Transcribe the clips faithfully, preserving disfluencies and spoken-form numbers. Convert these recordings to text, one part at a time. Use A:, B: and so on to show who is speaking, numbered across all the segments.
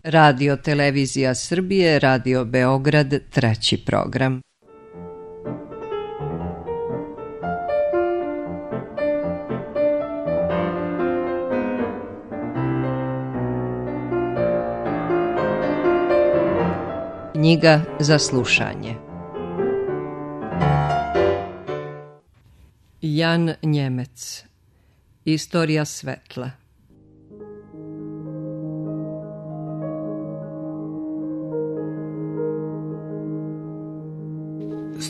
A: Radio Televizija Srbije, Radio Beograd, treći program. Knjiga za slušanje. Jan Njemec. Istorija svetla.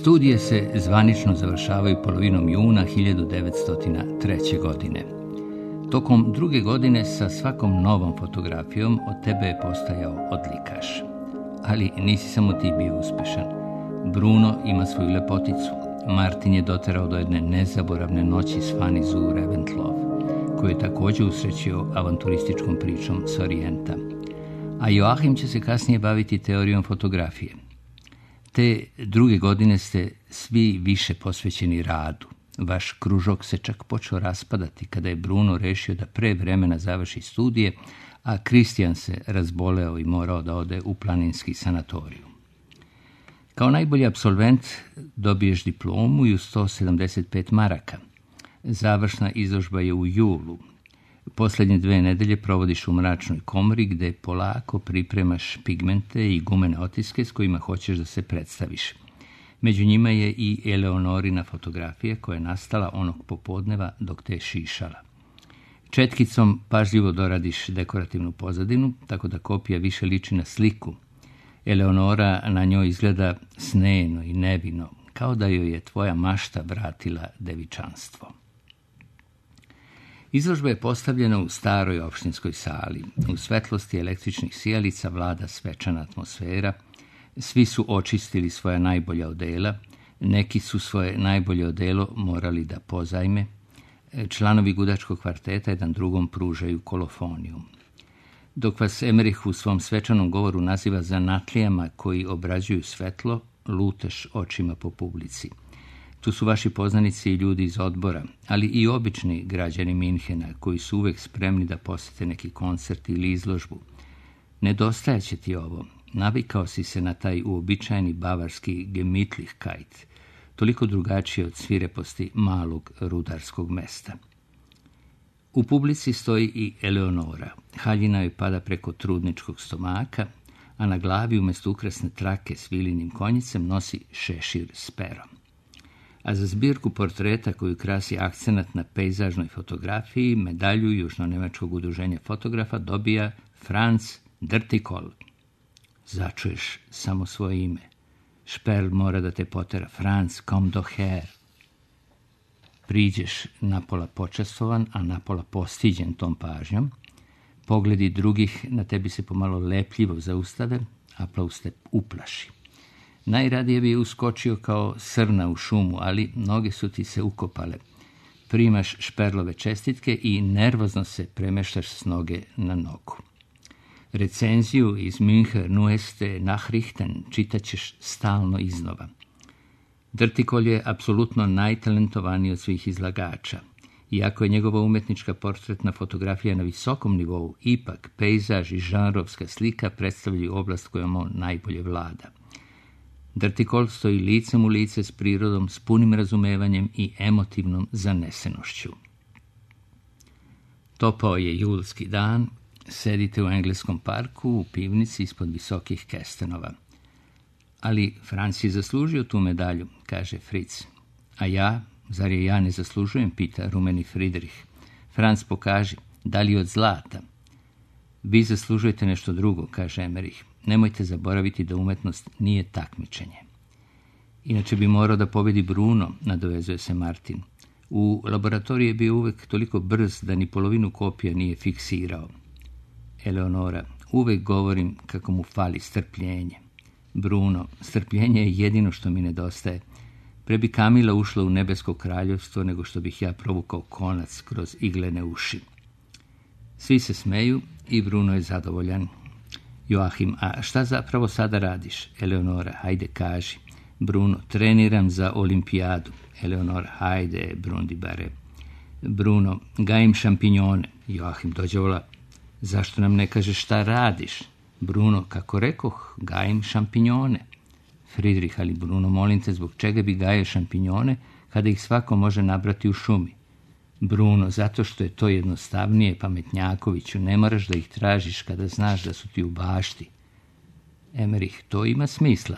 B: Studije se zvanično završavaju polovinom juna hiljadu devetsto treće. godine. Tokom druge godine sa svakom novom fotografijom od tebe je postajao odlikaš. Ali nisi samo ti bio uspešan. Bruno ima svoju lepoticu. Martin je doterao do jedne nezaboravne noći s Fanny zu Reventlow, koju je također usrećio avanturističkom pričom s Orijenta. A Joachim će se kasnije baviti teorijom fotografije. Te druge godine ste svi više posvećeni radu. Vaš kružok se čak počeo raspadati kada je Bruno rešio da pre vremena završi studije, a Kristijan se razboleo i morao da ode u planinski sanatoriju. Kao najbolji apsolvent dobiješ diplomu i u sto sedamdeset pet maraka. Završna izložba je u julu. Posljednje dve nedelje provodiš u mračnoj komori gde polako pripremaš pigmente i gumene otiske s kojima hoćeš da se predstaviš. Među njima je i Eleonorina fotografija koja je nastala onog popodneva dok te šišala. Četkicom pažljivo doradiš dekorativnu pozadinu, tako da kopija više liči na sliku. Eleonora na njoj izgleda sneno i nevino, kao da joj je tvoja mašta vratila devičanstvo. Izložba je postavljena u staroj opštinskoj sali. U svetlosti električnih sijalica vlada svečana atmosfera. Svi su očistili svoja najbolja odela. Neki su svoje najbolje odelo morali da pozajme. Članovi gudačkog kvarteta jedan drugom pružaju kolofoniju. Dok vas Emerich u svom svečanom govoru naziva zanatlijama koji obrađuju svetlo, luteš očima po publici. Tu su vaši poznanici i ljudi iz odbora, ali i obični građani Minhena koji su uvek spremni da posete neki koncert ili izložbu. Nedostajaće ti ovo. Navikao si se na taj uobičajeni bavarski Gemütlichkeit, toliko drugačije od svireposti malog rudarskog mesta. U publici stoji i Eleonora. Haljina joj pada preko trudničkog stomaka, a na glavi umjesto ukrasne trake s vilinim konjicem nosi šešir s perom. A za zbirku portreta koju krasi akcenat na pejzažnoj fotografiji, medalju Južno-nemačkog udruženja fotografa dobija Franz Dürtikol. Začuješ samo svoje ime. Šperl mora da te potera. Franz, komm doch her. Priđeš napola počastovan, a napola postiđen tom pažnjom. Pogledi drugih na tebi se pomalo lepljivo zaustave, aplauz te uplaši. Najradije bi uskočio kao srna u šumu, ali noge su ti se ukopale. Primaš Šperlove čestitke i nervozno se premeštaš s noge na nogu. Recenziju iz München Neueste Nachrichten čitat ćeš stalno iznova. Dürtikol je apsolutno najtalentovaniji od svih izlagača. Iako je njegova umetnička portretna fotografija na visokom nivou, ipak pejzaž i žanrovska slika predstavljaju oblast kojom on najbolje vlada. Dürtikol stoji licem u lice s prirodom, s punim razumevanjem i emotivnom zanesenošću. Topao je julski dan, sedite u engleskom parku u pivnici ispod visokih kestenova. Ali Franc je zaslužio tu medalju, kaže Fritz. A ja, zar je ja ne zaslužujem, pita rumeni Friedrich. Franc, pokaži, da li od zlata? Vi zaslužujete nešto drugo, kaže Emmerich. Nemojte zaboraviti da umetnost nije takmičenje. Inače bi morao da pobedi Bruno, nadovezuje se Martin. U laboratoriji je bio uvek toliko brz da ni polovinu kopija nije fiksirao. Eleonora, uvek govorim kako mu fali strpljenje. Bruno, strpljenje je jedino što mi nedostaje. Pre bi Kamila ušla u nebesko kraljevstvo nego što bih ja provukao konac kroz iglene uši. Svi se smeju i Bruno je zadovoljan. Joachim, a šta zapravo sada radiš? Eleonora, hajde kaži. Bruno, treniram za olimpijadu. Eleonora, hajde, Brundibare. Bruno, gajim šampinjone. Joachim, dođe vola. Zašto nam ne kažeš šta radiš? Bruno, kako rekoh, gajim šampinjone. Fridrih, ali Bruno, molim te, zbog čega bi gajio šampinjone kada ih svako može nabrati u šumi? Bruno, zato što je to jednostavnije, pametnjakoviću, ne moraš da ih tražiš kada znaš da su ti u bašti. Emerih, to ima smisla.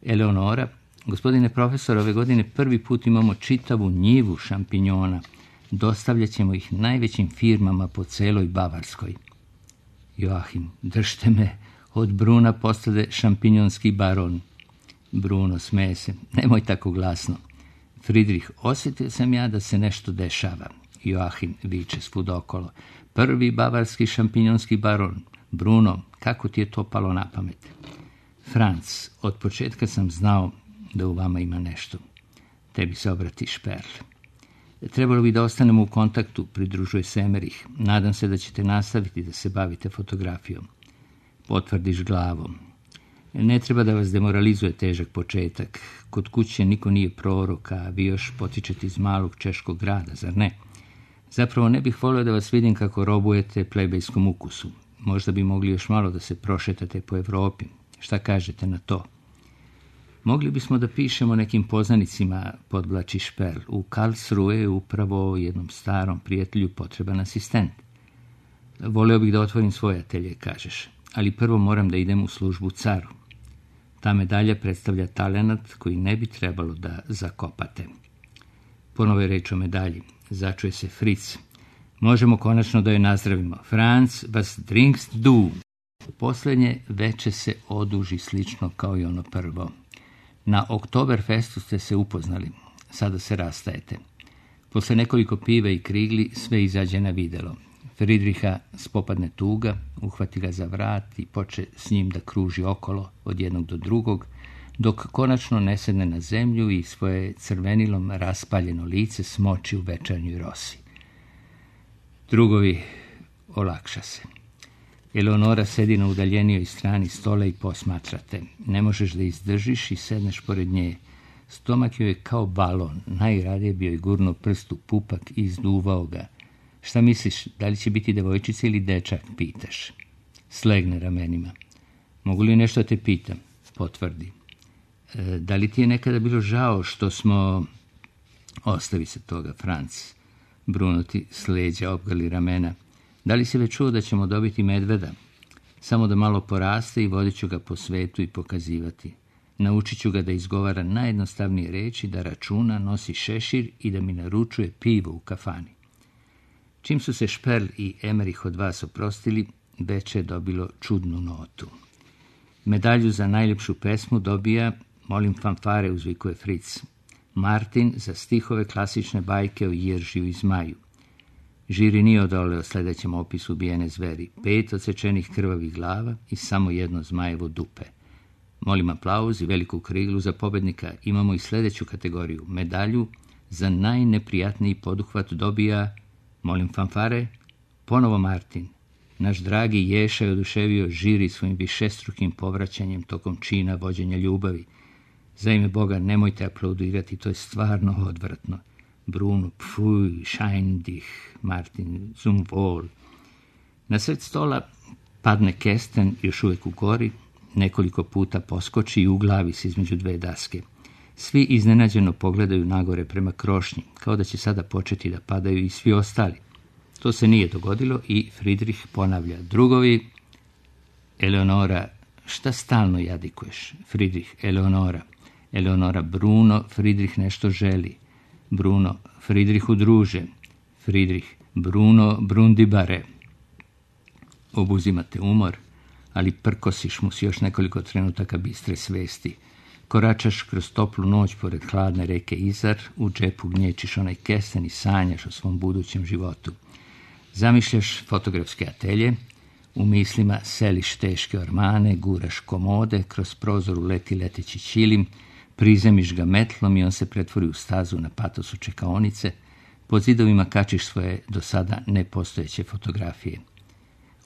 B: Eleonora, gospodine profesor, ove godine prvi put imamo čitavu njivu šampinjona. Dostavljat ćemo ih najvećim firmama po celoj Bavarskoj. Joachim, držte me, od Bruna postade šampinjonski baron. Bruno, smeje se, nemoj tako glasno. Fridrih, osjetio sam ja da se nešto dešava. Joachim viče svud okolo. Prvi bavarski šampinjonski baron. Bruno, kako ti je to palo na pamet? Franc, od početka sam znao da u vama ima nešto. Tebi se obrati Šperl. Trebalo bi da ostanemo u kontaktu, pridružuje se Emerih. Nadam se da ćete nastaviti da se bavite fotografijom. Potvrdiš glavom. Ne treba da vas demoralizuje težak početak. Kod kuće niko nije prorok, a vi još potičete iz malog češkog grada, zar ne? Zapravo ne bih volio da vas vidim kako robujete plebejskom ukusu. Možda bi mogli još malo da se prošetate po Evropi. Šta kažete na to? Mogli bismo da pišemo nekim poznanicima, podvlači Šperl. U Karlsruhe je upravo jednom starom prijatelju potreban asistent. Voleo bih da otvorim svoj atelje, kažeš, ali prvo moram da idem u službu caru. Ta medalja predstavlja talenat koji ne bi trebalo da zakopate. Ponovo je reč o medalji. Začuje se Fritz. Možemo konačno da joj nazdravimo. Franz, was trinkst du? Posljednje veče se oduži slično kao i ono prvo. Na Oktoberfestu ste se upoznali. Sada se rastajete. Posle nekoliko piva i krigli sve izađe na videlo. Fridriha spopadne tuga, uhvati ga za vrat i poče s njim da kruži okolo od jednog do drugog, dok konačno ne sedne na zemlju i svoje crvenilom raspaljeno lice smoči u večernjoj rosi. Drugovi, olakša se. Eleonora sedi na udaljenijoj strani stola i posmatrate. Ne možeš da izdržiš i sedneš pored nje. Stomak joj je kao balon, najradije bi joj gurno prst u pupak i izduvao ga. Šta misliš, da li će biti devojčica ili dečak, pitaš. Slegne ramenima. Mogu li nešto te pitam? Potvrdi. E, da li ti je nekada bilo žao što smo... Ostavi se toga, Franc. Bruno ti s leđa obgali ramena. Da li si već čuo da ćemo dobiti medveda? Samo da malo poraste i vodit ću ga po svetu i pokazivati. Naučit ću ga da izgovara najjednostavnije reči, da računa, nosi šešir i da mi naručuje pivo u kafani. Čim su se Šperl i Emerih od vas oprostili, veče je dobilo čudnu notu. Medalju za najljepšu pesmu dobija, molim fanfare, uzvikuje Fritz. Martin za stihove klasične bajke o Jeržiju i Zmaju. Žiri nije odoleo sljedećem opisu ubijene zveri. Pet odsečenih krvavih glava i samo jedno zmajevo dupe. Molim aplauz i veliku kriglu za pobednika. Imamo i sljedeću kategoriju. Medalju za najneprijatniji poduhvat dobija, molim fanfare, ponovo Martin. Naš dragi Ješa je oduševio žiri svojim višestrukim povraćanjem tokom čina vođenja ljubavi. Za ime Boga, nemojte aplaudirati, to je stvarno odvratno. Bruno, pfuj, schein dich, Martin, zum Wohl. Na sred stola padne kesten, još uvijek u gori, nekoliko puta poskoči i uglavi se između dve daske. Svi iznenađeno pogledaju nagore prema krošnji, kao da će sada početi da padaju i svi ostali. To se nije dogodilo i Fridrih ponavlja. Drugovi, Eleonora, šta stalno jadikuješ? Fridrih, Eleonora. Eleonora, Bruno, Fridrih nešto želi. Bruno, Fridrihu druže. Fridrih, Bruno, Brundibare. Obuzimate umor, ali prkosiš mu si još nekoliko trenutaka bistre svesti. Koračaš kroz toplu noć pored hladne reke Izar, u džepu gnječiš onaj kesten i sanjaš o svom budućem životu. Zamišljaš fotografske atelje, u mislima seliš teške ormane, guraš komode, kroz prozor uleti leteći ćilim, prizemiš ga metlom i on se pretvori u stazu na patosu čekaonice, pod zidovima kačiš svoje do sada nepostojeće fotografije.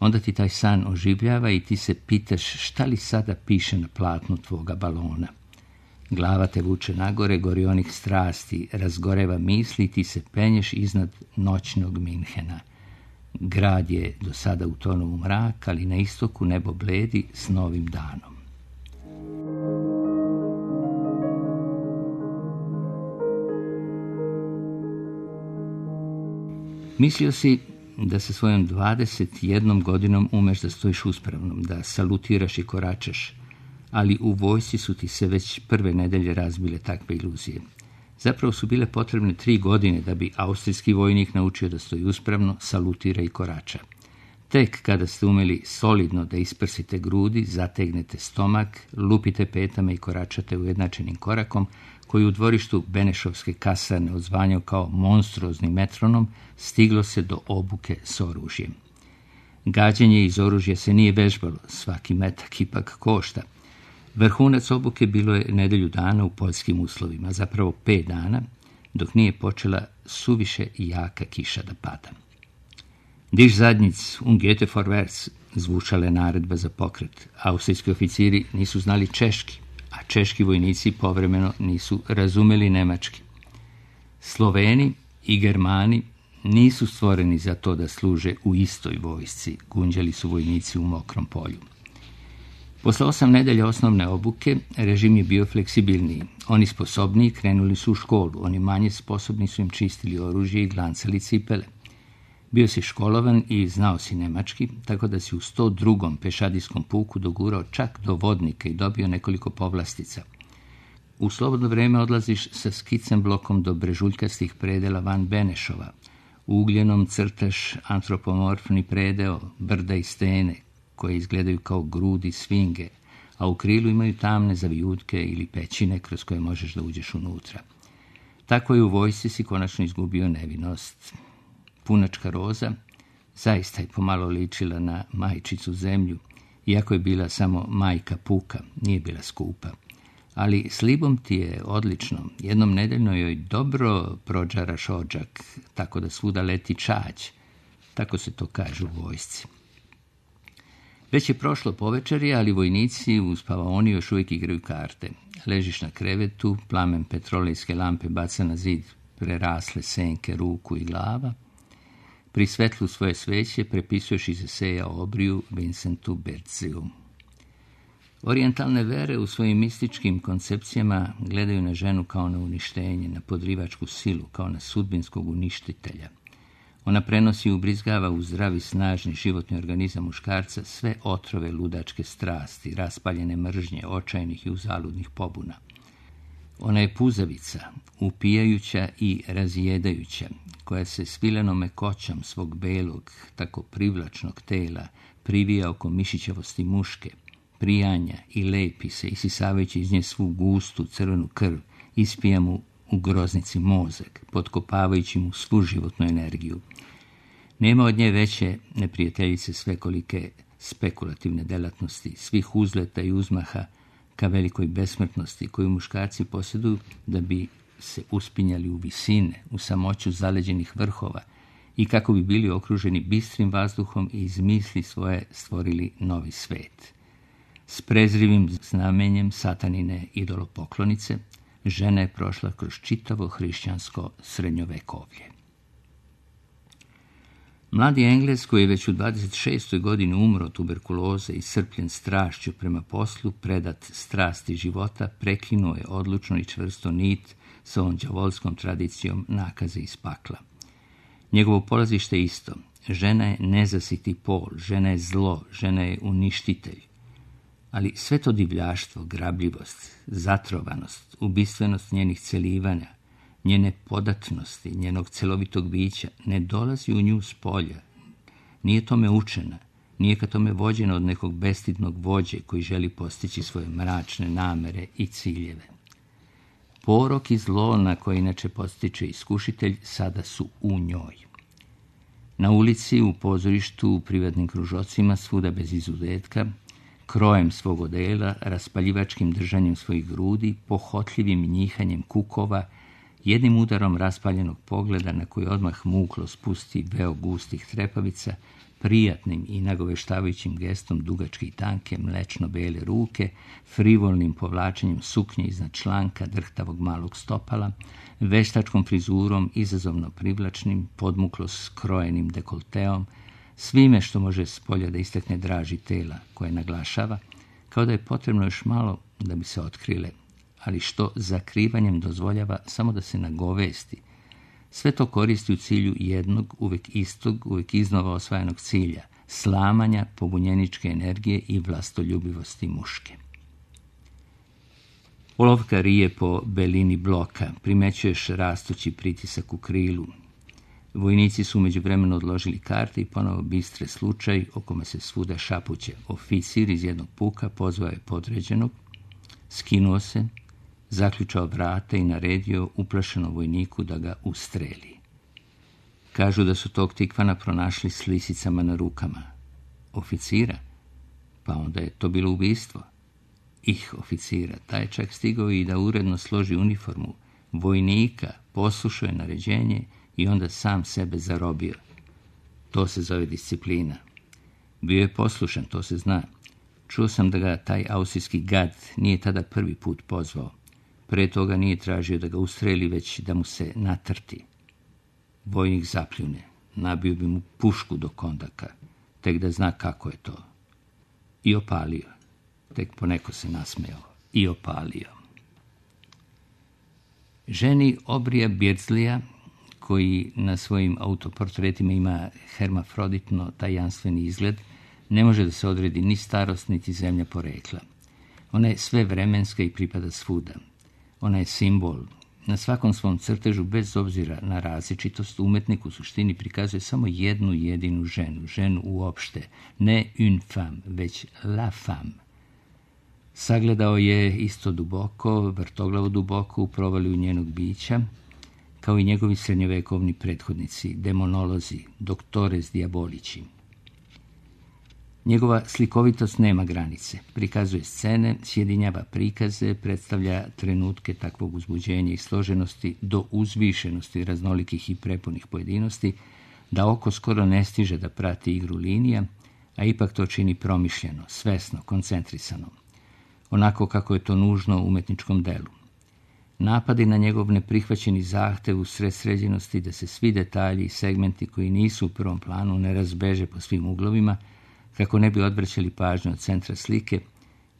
B: Onda ti taj san oživljava i ti se pitaš šta li sada piše na platnu tvoga balona. Glava te vuče nagore, gori onih strasti, razgoreva misli i ti se penješ iznad noćnog Minhena. Grad je do sada utonuo u mrak, ali na istoku nebo bledi s novim danom. Mislio si da sa svojom dvadeset jednom godinom umeš da stojiš uspravnom, da salutiraš i koračaš, ali u vojsci su ti se već prve nedelje razbile takve iluzije. Zapravo su bile potrebne tri godine da bi austrijski vojnik naučio da stoji uspravno, salutira i korača. Tek kada ste umeli solidno da isprsite grudi, zategnete stomak, lupite petama i koračate ujednačenim korakom, koji u dvorištu Benešovske kasarne odzvanjao kao monstruozni metronom, stiglo se do obuke s oružjem. Gađanje iz oružja se nije vežbalo, svaki metak ipak košta. Vrhunac obuke bilo je nedelju dana u poljskim uslovima, zapravo pet dana, dok nije počela suviše jaka kiša da pada. Diš zadnjic, un gete vorwärts, zvučala je naredba za pokret. Austrijski oficiri nisu znali češki, a češki vojnici povremeno nisu razumeli nemački. Sloveni i Germani nisu stvoreni za to da služe u istoj vojsci, gunđali su vojnici u mokrom polju. Posle osam nedelja osnovne obuke, režim je bio fleksibilniji. Oni sposobniji krenuli su u školu, oni manje sposobni su im čistili oružje i glancali cipele. Bio si školovan i znao si nemački, tako da si u sto drugom pešadijskom puku dogurao čak do vodnika i dobio nekoliko povlastica. U slobodno vreme odlaziš sa skicem blokom do brežuljkastih predela van Benešova. U ugljenom crtaš antropomorfni predeo, brda i stene, koje izgledaju kao grudi svinge, a u krilu imaju tamne zavijutke ili pećine kroz koje možeš da uđeš unutra. Tako je u vojsci si konačno izgubio nevinost. Punačka Roza zaista je pomalo ličila na majčicu zemlju, iako je bila samo majka puka, nije bila skupa. Ali s Libom ti je odlično, jednom nedeljno joj dobro prođaraš odžak, tako da svuda leti čađ, tako se to kaže u vojsci. Već je prošlo povečerje, ali vojnici u spavaoni još uvijek igraju karte. Ležiš na krevetu, plamen petrolejske lampe baca na zid prerasle senke ruku i glava. Pri svetlu svoje sveće prepisuješ iz eseja o obriju Vincentu Berziju. Orijentalne vere u svojim mističkim koncepcijama gledaju na ženu kao na uništenje, na podrivačku silu, kao na sudbinskog uništitelja. Ona prenosi i ubrizgava u zdravi, snažni životni organizam muškarca sve otrove ludačke strasti, raspaljene mržnje, očajnih i uzaludnih pobuna. Ona je puzavica, upijajuća i razjedajuća, koja se svilenom mekoćom svog belog, tako privlačnog tela privija oko mišićavosti muške, prijanja i lepi se, isisavajući iz nje svu gustu crvenu krv, ispija mu u groznici mozak, potkopavajući mu svu životnu energiju. Nema od nje veće neprijateljice svekolike spekulativne delatnosti, svih uzleta i uzmaha ka velikoj besmrtnosti koju muškarci posjeduju da bi se uspinjali u visine, u samoću zaleđenih vrhova i kako bi bili okruženi bistrim vazduhom i iz misli svoje stvorili novi svet. S prezrivim znamenjem satanine idolopoklonice, žena je prošla kroz čitavo hrišćansko srednjovekovlje. Mladi Englez, koji je već u dvadeset šestoj godini umro od tuberkuloze i iscrpljen strašću prema poslu, predat strasti života, prekinuo je odlučno i čvrsto nit sa ovom đavolskom tradicijom nakaze iz pakla. Njegovo polazište je isto. Žena je nezasiti pol, žena je zlo, žena je uništitelj. Ali sve to divljaštvo, grabljivost, zatrovanost, ubistvenost njenih celivanja, njene podatnosti, njenog celovitog bića, ne dolazi u nju s polja. Nije tome učena, nije ka tome vođena od nekog bestidnog vođe koji želi postići svoje mračne namere i ciljeve. Porok i zlo na koje inače postiče iskušitelj sada su u njoj. Na ulici, u pozorištu, u privatnim kružocima, svuda bez izuzetka, krojem svog odela, raspaljivačkim držanjem svojih grudi, pohotljivim njihanjem kukova, jednim udarom raspaljenog pogleda na koji odmah muklo spusti veo gustih trepavica, prijatnim i nagoveštavajućim gestom dugačke i tanke mlečno-bele ruke, frivolnim povlačenjem suknje iznad članka drhtavog malog stopala, veštačkom frizurom izazovno privlačnim, podmuklo skrojenim dekolteom, svime što može s polja da istakne draži tela koje naglašava, kao da je potrebno još malo da bi se otkrile, ali što zakrivanjem dozvoljava samo da se nagovesti. Sve to koristi u cilju jednog, uvek istog, uvek iznova osvajanog cilja, slamanja pobunjeničke energije i vlastoljubivosti muške. Olovka rije po belini bloka, primećuješ rastući pritisak u krilu. Vojnici su međuvremeno odložili karte i ponovo bistre slučaj o kome se svuda šapuće. Oficir iz jednog puka pozvao je podređenog, skinuo se, zaključao vrata i naredio uplašenom vojniku da ga ustreli. Kažu da su tog tikvana pronašli s lisicama na rukama. Oficira? Pa onda je to bilo ubistvo. Ih oficira, taj je čak stigao i da uredno složi uniformu. Vojnika poslušao je naređenje i onda sam sebe zarobio. To se zove disciplina. Bio je poslušan, to se zna. Čuo sam da ga taj austrijski gad nije tada prvi put pozvao. Pre toga nije tražio da ga ustreli, već da mu se natrti. Vojnik zapljune, nabio bi mu pušku do kondaka, tek da zna kako je to. I opalio. Tek poneko se nasmejao. I opalio. Ženi Obrija Beardsleyja, koji na svojim autoportretima ima hermafroditno tajanstveni izgled, ne može da se odredi ni starost, niti zemlja porekla. Ona je sve vremenska i pripada svuda. Ona je simbol. Na svakom svom crtežu, bez obzira na različitost, umetnik u suštini prikazuje samo jednu jedinu ženu, ženu uopšte, ne une femme, već la femme. Sagledao je isto duboko, vrtoglavo duboko u provaliju njenog bića, kao i njegovi srednjovekovni prethodnici, demonolozi, doktores diabolici. Njegova slikovitost nema granice, prikazuje scene, sjedinjava prikaze, predstavlja trenutke takvog uzbuđenja i složenosti do uzvišenosti raznolikih i prepunih pojedinosti, da oko skoro ne stiže da prati igru linija, a ipak to čini promišljeno, svesno, koncentrisano, onako kako je to nužno u umetničkom delu. Napadi na njegov neprihvaćeni zahtev u sred sređenosti da se svi detalji i segmenti koji nisu u prvom planu ne razbeže po svim uglovima, kako ne bi odvraćali pažnju od centra slike,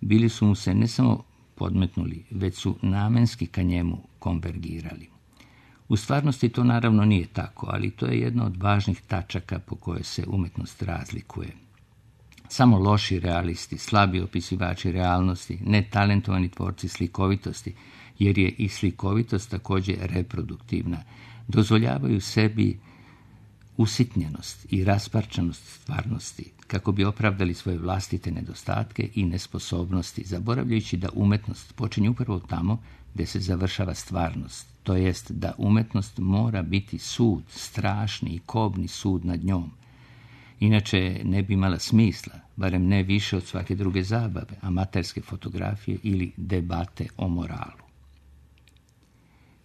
B: bili su mu se ne samo podmetnuli, već su namenski ka njemu konvergirali. U stvarnosti to naravno nije tako, ali to je jedna od važnih tačaka po kojoj se umetnost razlikuje. Samo loši realisti, slabi opisivači realnosti, netalentovani tvorci slikovitosti, jer je i slikovitost također reproduktivna, dozvoljavaju sebi usitnjenost i rasparčanost stvarnosti, kako bi opravdali svoje vlastite nedostatke i nesposobnosti, zaboravljajući da umetnost počinje upravo tamo gdje se završava stvarnost, to jest da umetnost mora biti sud, strašni i kobni sud nad njom. Inače ne bi imala smisla, barem ne više od svake druge zabave, amaterske fotografije ili debate o moralu.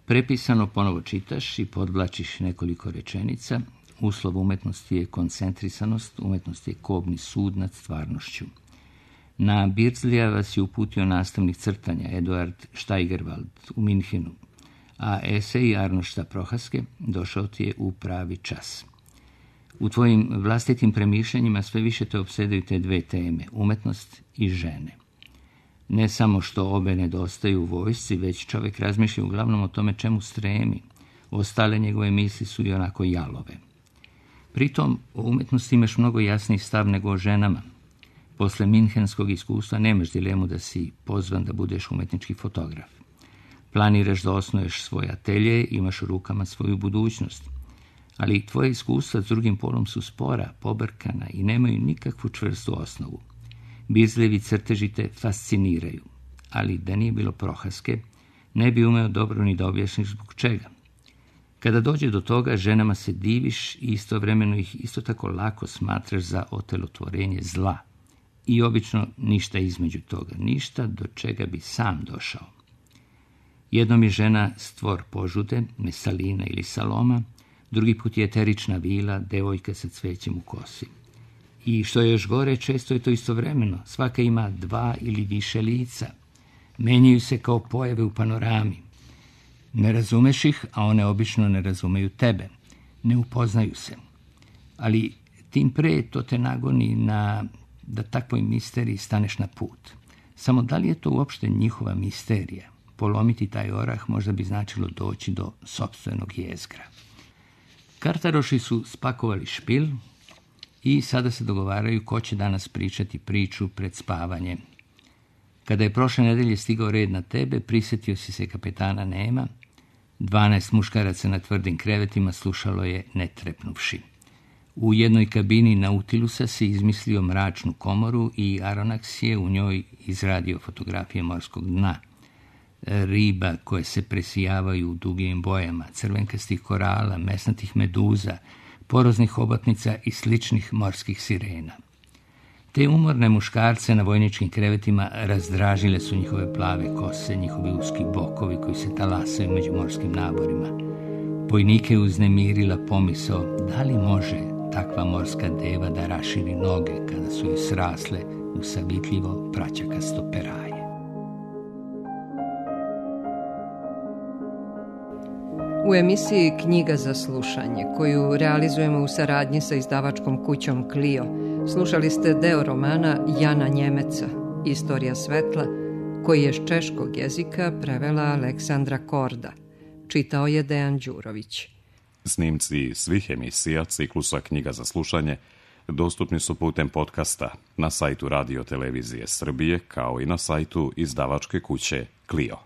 B: Prepisano ponovo čitaš i podvlačiš nekoliko rečenica. Uslov umetnosti je koncentrisanost, umetnost je kobni sud nad stvarnošću. Na Beardsleyja vas je uputio nastavnik crtanja Eduard Steigerwald u Minhenu, a esej Arnošta Prohaske došao ti je u pravi čas. U tvojim vlastitim premišljanjima sve više te opsedaju te dve teme, umetnost i žene. Ne samo što obe nedostaju u vojsci, već čovjek razmišlja uglavnom o tome čemu stremi. Ostale njegove misli su i onako jalove. Pritom, o umetnosti imaš mnogo jasniji stav nego o ženama. Posle minhenskog iskustva nemaš dilemu da si pozvan da budeš umetnički fotograf. Planiraš da osnuješ svoj atelje, imaš u rukama svoju budućnost. Ali tvoje iskustva s drugim polom su spora, pobrkana i nemaju nikakvu čvrstu osnovu. Beardsleyjevi crteži te fasciniraju, ali da nije bilo Prohaske, ne bi umeo dobro ni da objašnjiš zbog čega. Kada dođe do toga, ženama se diviš i istovremeno ih isto tako lako smatraš za otelotvorenje zla. I obično ništa između toga, ništa do čega bi sam došao. Jednom je žena stvor požude, Mesalina ili Saloma, drugi put je eterična vila, devojka sa cvećem u kosi. I što je još gore, često je to istovremeno, svaka ima dva ili više lica. Menjaju se kao pojave u panorami. Ne razumeš ih, a one obično ne razumeju tebe. Ne upoznaju se. Ali Tim pre to te nagoni na da takvoj misteriji staneš na put. Samo da li je to uopšte njihova misterija? Polomiti taj orah možda bi značilo doći do sopstvenog jezgra. Kartaroši su spakovali špil i sada se dogovaraju ko će danas pričati priču pred spavanje. Kada je prošle nedelje stigao red na tebe, prisjetio si se kapetana Nema. Dvanaest muškaraca na tvrdim krevetima slušalo je ne trepnuvši. U jednoj kabini Nautilusa se izmislio mračnu komoru i Aronnax je u njoj izradio fotografije morskog dna. Riba koje se presijavaju u dugim bojama, crvenkastih korala, mesnatih meduza, poroznih hobotnica i sličnih morskih sirena. Te umorne muškarce na vojničkim krevetima razdražile su njihove plave kose, njihovi uski bokovi koji se talasaju među morskim naborima. Vojnike je uznemirila pomisao da li može takva morska deva da raširi noge kada su joj srasle u savitljivo praćakasto peraje.
A: U emisiji Knjiga za slušanje, koju realizujemo u saradnji sa izdavačkom kućom Clio, slušali ste deo romana Jana Njemeca, Istorija svetla, koji je s češkog jezika prevela Aleksandra Korda. Čitao je Dejan Đurović.
C: Snimci svih emisija ciklusa Knjiga za slušanje dostupni su putem podcasta na sajtu Radio Televizije Srbije kao i na sajtu izdavačke kuće Clio.